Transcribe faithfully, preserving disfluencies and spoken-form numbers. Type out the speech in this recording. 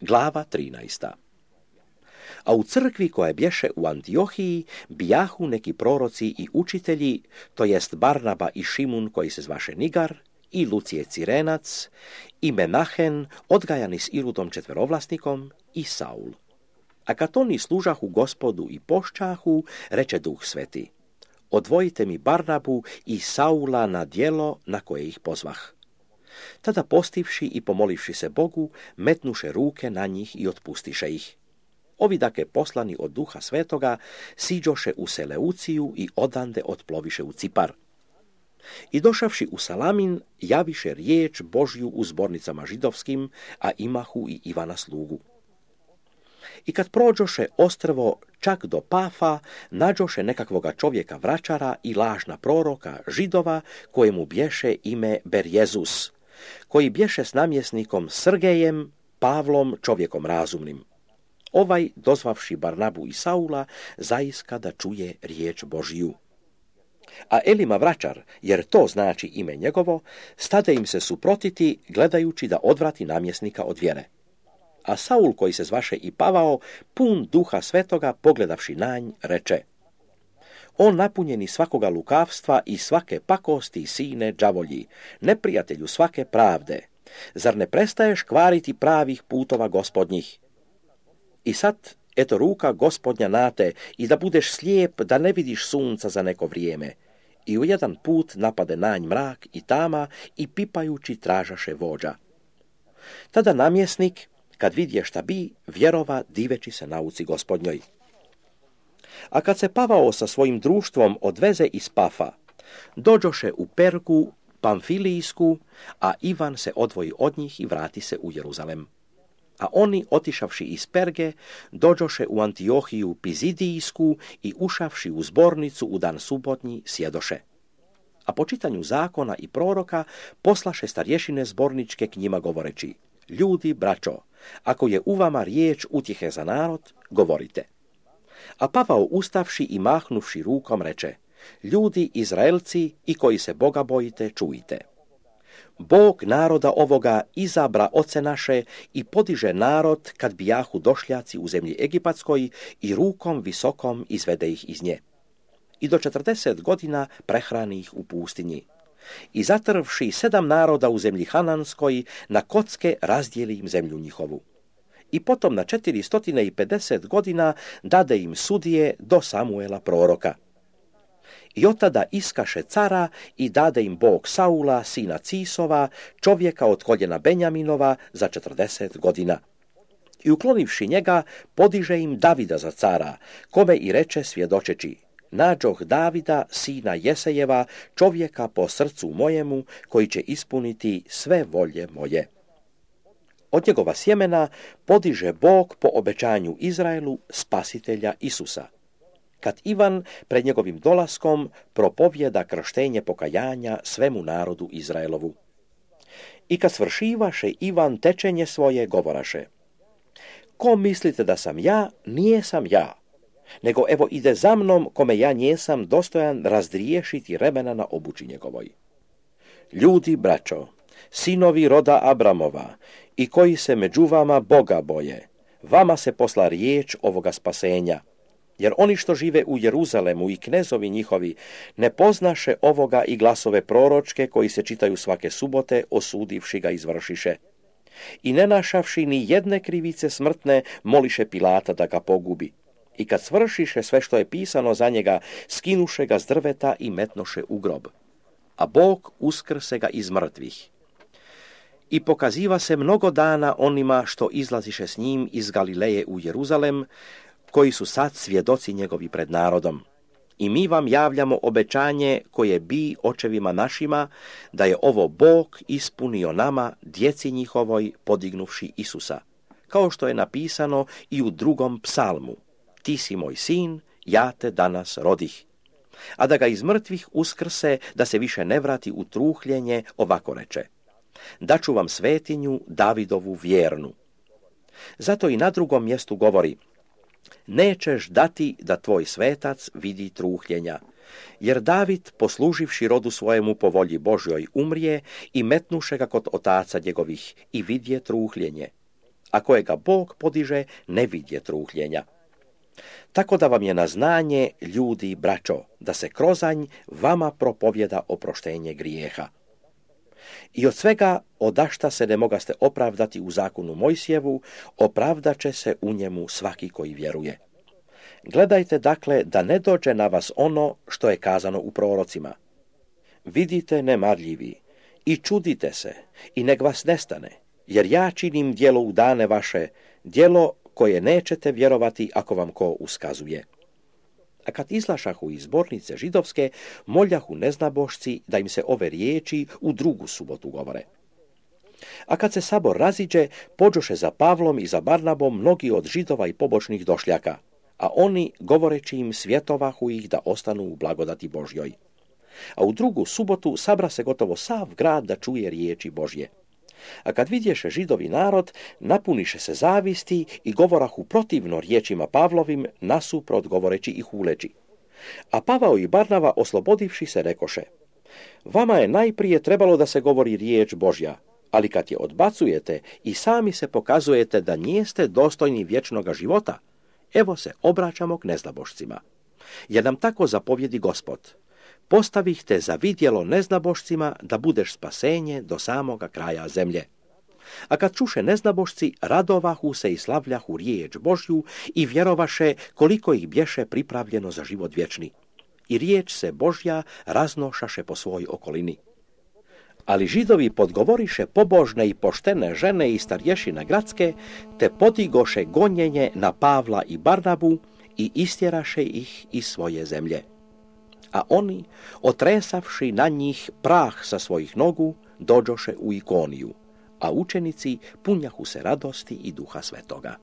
Glava trinaesta. A u crkvi koja bješe u Antiohiji bijahu neki proroci i učitelji, to jest Barnaba i Šimun koji se zvaše Nigar, i Lucije Cirenac, i Menahen, odgajani s Irudom četverovlasnikom, i Saul. A kad oni služahu Gospodu i pošćahu, reče Duh Sveti: odvojite mi Barnabu i Saula na djelo na koje ih pozvah. Tada postivši i pomolivši se Bogu, metnuše ruke na njih i otpustiše ih. Ovi dake poslani od Duha Svetoga siđoše u Seleuciju i odande otploviše u Cipar. I došavši u Salamin, javiše riječ Božju u zbornicama židovskim, a imahu i Ivana slugu. I kad prođoše ostrvo čak do Pafa, nađoše nekakvoga čovjeka vračara i lažna proroka židova, kojemu bješe ime Berjezus, koji bješe s namjesnikom Srgejem, Pavlom, čovjekom razumnim. Ovaj, dozvavši Barnabu i Saula, zaiska da čuje riječ Božju. A Elima vračar, jer to znači ime njegovo, stade im se suprotiti, gledajući da odvrati namjesnika od vjere. A Saul, koji se zvaše i Pavao, pun Duha Svetoga, pogledavši na nj, reče: on napunjeni svakoga lukavstva i svake pakosti, sine đavolji, neprijatelju svake pravde, zar ne prestaješ kvariti pravih putova gospodnjih? I sad, eto ruka Gospodnja na te, i da budeš slijep, da ne vidiš sunca za neko vrijeme. I u jedan put napade na nj mrak i tama i pipajući tražaše vođa. Tada namjesnik, kad vidje šta bi, vjerova diveći se nauci Gospodnjoj. A kad se Pavao sa svojim društvom odveze iz Pafa, dođoše u Pergu Pamfilijsku, a Ivan se odvoji od njih i vrati se u Jeruzalem. A oni, otišavši iz Perge, dođoše u Antiohiju Pizidijsku i ušavši u zbornicu u dan subotnji, sjedoše. A po čitanju zakona i proroka poslaše starješine zborničke k njima govoreći: ljudi, braćo, ako je u vama riječ utjehe za narod, govorite. A Pavao ustavši i mahnuvši rukom reče: ljudi, Izraelci i koji se Boga bojite, čujte. Bog naroda ovoga izabra oce naše i podiže narod kad bijahu došljaci u zemlji Egipatskoj i rukom visokom izvede ih iz nje. I do četrdeset godina prehrani ih u pustinji. I zatrvši sedam naroda u zemlji Hananskoj, na kocke razdijeli im zemlju njihovu. I potom na četiristo pedeset godina dade im sudije do Samuela proroka. I od tada iskaše cara i dade im Bog Saula, sina Cisova, čovjeka od koljena Benjaminova, za četrdeset godina. I uklonivši njega, podiže im Davida za cara, kome i reče svjedočeći: nađoh Davida, sina Jesejeva, čovjeka po srcu mojemu, koji će ispuniti sve volje moje. Od njegova sjemena podiže Bog po obećanju Izraelu spasitelja Isusa. Kad Ivan pred njegovim dolaskom propovjeda krštenje pokajanja svemu narodu Izraelovu. I kad svršivaše Ivan tečenje svoje, govoraše: ko mislite da sam ja, nije sam ja, nego evo ide za mnom, kome ja njesam dostojan razdriješiti remena na obući njegovoj. Ljudi, braćo, sinovi roda Abramova, i koji se među vama Boga boje, vama se posla riječ ovoga spasenja, jer oni što žive u Jeruzalemu i knezovi njihovi ne poznaše ovoga i glasove proročke koji se čitaju svake subote, osudivši ga izvršiše. I ne našavši ni jedne krivice smrtne, moliše Pilata da ga pogubi. I kad svršiše sve što je pisano za njega, skinuše ga s drveta i metnoše u grob. A Bog uskrse ga iz mrtvih. I pokaziva se mnogo dana onima što izlaziše s njim iz Galileje u Jeruzalem, koji su sad svjedoci njegovi pred narodom. I mi vam javljamo obećanje koje bi očevima našima, da je ovo Bog ispunio nama, djeci njihovoj, podignuvši Isusa, kao što je napisano i u drugom psalmu: ti si moj sin, ja te danas rodih. A da ga iz mrtvih uskrse, da se više ne vrati u truhljenje, ovako reče: daću vam svetinju Davidovu vjernu. Zato i na drugom mjestu govori: nećeš dati da tvoj svetac vidi truhljenja, jer David, posluživši rodu svojemu po volji Božjoj, umrije i metnuše ga kod otaca njegovih i vidje truhljenje. a kojega Bog podiže ne vidje trúhljenja. Tako da vam je na znanje, ljudi, braćo, da se krozanj vama propovjeda oproštenje grijeha. I od svega odašta se ne mogaste opravdati u zakonu Mojsijevu, opravdat će se u njemu svaki koji vjeruje. Gledajte dakle da ne dođe na vas ono što je kazano u prorocima. Vidite nemarljivi i čudite se i nek vas nestane, jer ja činim djelo u dane vaše, djelo koje nećete vjerovati ako vam ko uskazuje. A kad izlašahu iz zbornice židovske, moljahu neznabošci da im se ove riječi u drugu subotu govore. A kad se sabor raziđe, pođoše za Pavlom i za Barnabom mnogi od židova i pobočnih došljaka, a oni, govoreći im, svjetovahu ih da ostanu u blagodati Božjoj. A u drugu subotu sabra se gotovo sav grad da čuje riječi Božje. A kad vidješe židovi narod, napuniše se zavisti i govorahu protivno riječima Pavlovim, nasuprot govoreći i huleći. A Pavao i Barnava, oslobodivši se, rekoše: vama je najprije trebalo da se govori riječ Božja, ali kad je odbacujete i sami se pokazujete da nijeste dostojni vječnoga života, evo se obraćamo k neznabošcima. Jer nam tako zapovjedi Gospod: postavih te za vidjelo neznabošcima da budeš spasenje do samoga kraja zemlje. A kad čuše neznabošci, radovahu se i slavljahu riječ Božju i vjerovaše koliko ih bješe pripravljeno za život vječni. I riječ se Božja raznošaše po svoj okolini. Ali židovi podgovoriše pobožne i poštene žene i starješine gradske, te podigoše gonjenje na Pavla i Barnabu i istjeraše ih iz svoje zemlje. A oni, otresavši na njih prah sa svojih nogu, dođoše u Ikoniju, a učenici punjahu se radosti i Duha Svetoga.